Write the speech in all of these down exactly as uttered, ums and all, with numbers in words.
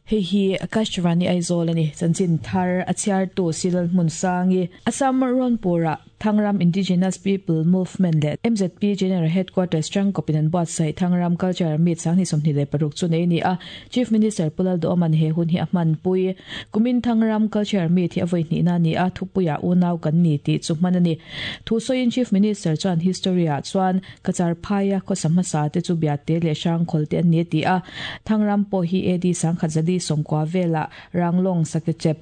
Hei hi Akashvani Aizawl ani chanchin thar a chhiartu Silal Hmunsangi Assam Rawnpura Thangram Indigenous People Movement le M Z P General Headquarters tangkopin an buatsaih Thangram Culture Meet sanghnih sawmhnih leh paruk chu nei ni a. Chief Minister Pu Lalduhoma'n he hun hi a hmanpui. Kumin Thangram Culture Meet hi a vawi hnihna a ni a, thupuiah unau kan ni tih chu hman a ni. Thu sawiin Chief Minister chuan history ah chuan Cachar phaia khawsa hmasa te chu Biate leh Hrangkhawl te an ni a ti a. Thangram pawh hi A D sangkhat zali sawmkua velah Ranglong Sakechep,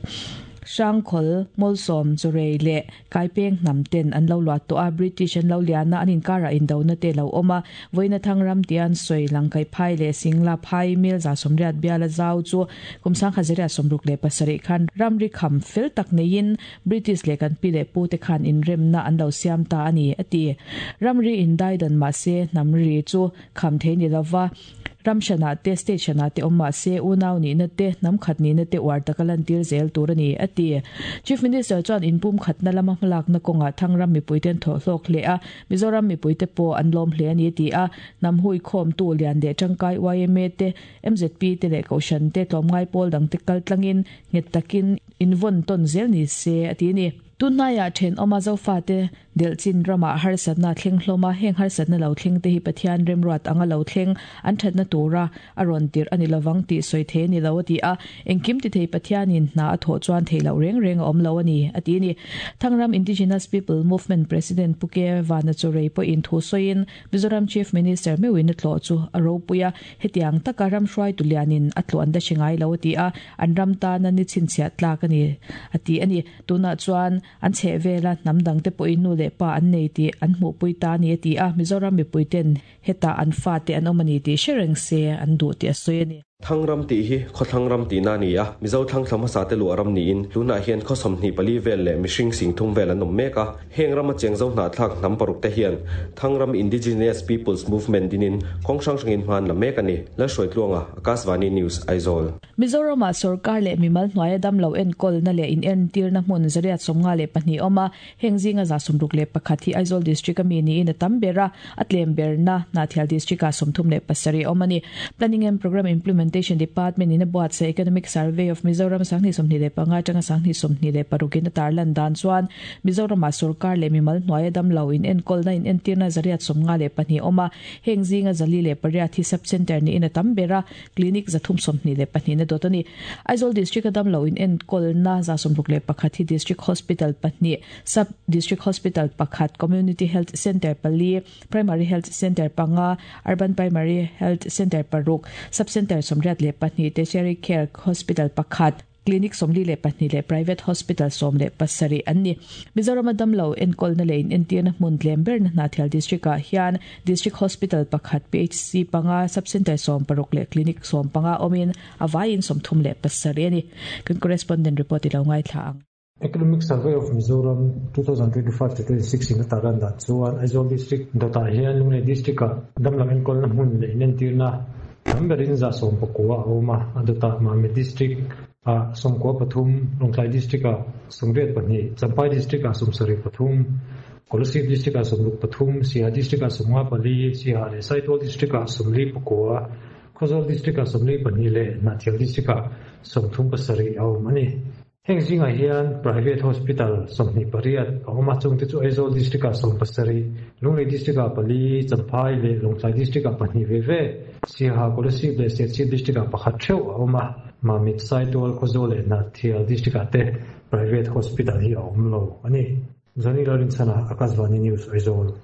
Hrangkhawl, Mawlsawm, Churei leh Kaipeng hnam ten an lo luah tawh a, British an lo lian a, an inkarah indona te lo awm a. Vawiina Thangram tia an sawi Langkaih phai leh Singla phai mil za sawmriat biala zau chu kum sangkhat zariat sawmruk leh pasarih khan ramri kham fel tak neiin British leh kan pi leh pu te khan inremna an lo siam ta a ni, a ti. Ramri indaidan mahse hnam ri chu kham thei ni lova, Ram hranah te, state hranah te awm mah se, unau nihna te, hnam khat nihna te uar taka lantir zel tur a ni, a ti. Chief Minister chuan inpum khatna lama hmalakna kawngah Thangram mipuite an thawh hlawk hle a, Mizoram mipuite pawh an lawm hle a ni, a ti a. Hnam huikhawmtu lian leh tangkai yma te, M Z P te leh Kohhran te tlawmngai pawl dangte kaltlangin nghet takin invawn tawn zel ni se, a ti a ni. Tunhnaiah thenawma Zofate delhchin ramah harsatna a thleng hlawm a, heng harsatna lo thleng te hi Pathian remruat anga lo thleng an thatna tura a rawn tirh a ni lovang tih sawi thei a ni lo a ti a, engkim ti thei Pathianin hna a thawh chuan theih loh reng reng a awm lo a ni a ti a ni. Thangram Indigenous People Movement President Pu Ke Vana Churei pawhin thu sawiin Mizoram Chief Minister meuhin a tlawh chu a ropui a, hetiang taka ram hruaitu lianin a tlawh an la hre ngai lo a ti a, an ram tana ni chhinchhiah tlak a ni a ti a ni. Tunah chuan an chheh vela hnam dangte pawhin nu leh pa an nei tih an hmuhpui ta a ni a ti a, Mizoram mipuiten hetah an fate an awm a ni tih hre reng se an duh tih a sawi a ni. Thangram tih hi khawthlang ram tihna a ni a, Mizo thlang thla hmasa te luah ram niin tunah hian khaw sawmhnih pali vel leh mihring sing thum vel an awm mek a. Heng rama cheng zo hnahthlak hnam paruk te hian Thangram Indigenous Peoples Movement dinin kawng hrang hrangin hma an la mek a ni. Lalhruaitluanga, Akashvani News, Aizawl. Mizoramah sorkar leh mimal hnuaia damlo enkawlna leh inentirna hmun zariat sawmnga leh pahnih awm a, heng zinga za sawmruk leh pakhat hi Aizawl District a mi niin a tam ber a, a tlem berna Hnahthial District-ah sawmthum leh pasarih a awm a ni. Planning and Programme Implementation Department in a buatsaih Economic Survey of Mizoram sanghnih sawmhnih leh panga atanga sanghnih sawmhnih leh parukin a tarlan dan chuan Mizoramah sorkar leh mimal hnuaia damlo inenkawlna inentirna zariat sawmnga leh pahnih a awm a, heng zinga zali leh pariat hi sub-centre niin a tam ber a, Clinic zathum sawmhnih leh pahnih na dawt a ni. Aizawl District a damlo in enkawlna za sawmruk leh pakhat hi District Hospital pahnih, Sub District Hospital pakhat, Community Health Centre pali, Primary Health Centre panga, Urban Primary Health Centre paruk, Sub Centre sawmriat leh pahnih, Tertiary Care Hospital pakhat, Clinic sawmli leh pahnih leh Private Hospital sawm leh pasarih an ni. Mizorama damlo enkawlna leh inentirna hmun tlem berna Hnahthial District-ah hian District Hospital pakhat, P H C panga, Sub Centre sawm paruk leh Clinic sawm panga awmin a vaiin sawmthum leh pasarih a ni. Kan correspondent report i lo ngaithla ang. Economic Survey of Mizoram two thousand twenty-five to twenty-six in a tarlan dan chuan Aizawl District dawtah hian Lunglei District-ah damlo enkawlna hmun leh inentirna tam berin za sawm pakua a awm a, a dawtah Mamit District ah sawmkua pathum, Lawngtlai District ah sawmriat pahnih, Champhai District ah sawmsarih pathum, Kolasib District ah sawmruk pathum, Siaha District ah sawmnga pali, Siaha leh Saitual District ah sawmli pakua, Khawzawl District ah sawmli pahnih leh Hnahthial District ah sawmthum pasarih a awm a ni. Heng zingah hian Private Hospital sawmhnih pariat a awm a, chungte chu Aizawl District ah sawm pasarih, Lunglei District ah pali, Champhai leh Lawngtlai District ah pahnih ve ve, Siaha, Kolasib leh Serchhip District ah pakhat theuh a awm a, Mamit, Saitual, Khawzawl leh Hnahthial District ah te Private Hospital hi a awm lo a ni. Zani Lalrinchhana, Akashvani News, Aizawl.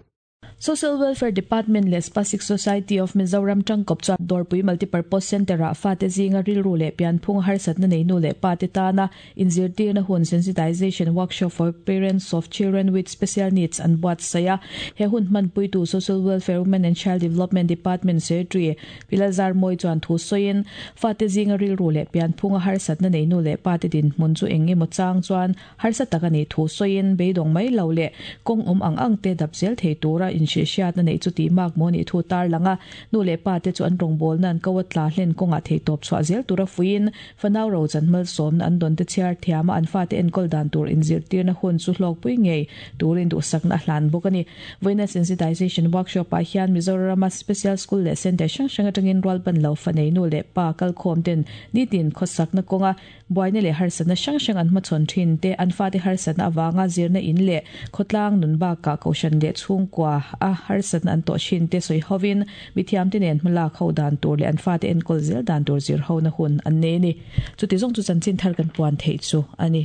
Social Welfare Department leh Spastic Society of Mizoram tangkawp chuan Dawrpui Multipurpose Centre-ah fate zinga rilru leh pianphung harsatna nei nu leh pa te tana inzirtirna hun Sensitization Workshop for Parents of Children with Special Needs an buatsaih a. He hun hmanpuitu Social Welfare, Women and Child Development Department Secretary Pi Lalzarmawi chuan thu sawiin fate zinga rilru leh pianphunga harsatna nei nu leh pa te dinhmun chu eng emaw chang chuan harsa tak a nih thu sawiin beidawng mai lo leh kawng awm ang ang te dap zel thei tura in hriat na nei chu ti mak mo ni thu tar langa nu le pa te chu an rong bol nan kawa tla hlen konga thei top chwa zel tura fuin fanau ro chan mal som na an don te chiar thiama an fa te enkol dan tur in zir tir na hun chu hlok pui ngei turin du sak na hlan bokani voina sensitization workshop a hian Mizoram special school le center sang sang atangin rwal ban lo fanei nu le pa kal khom ten nitin khosak na konga boina le harsana sang sang an ma chon thin te an fa te harsana awanga zirna in le khotlang nun ba ka koshan le chung kwa a harsana an to shin te soi hovin mithiam te nen hmala kho dan tur le an fa te en kol zel dan tur zir ho na hun an ne ni chu ti zong chu chan chin thar kan puan thei chu ani.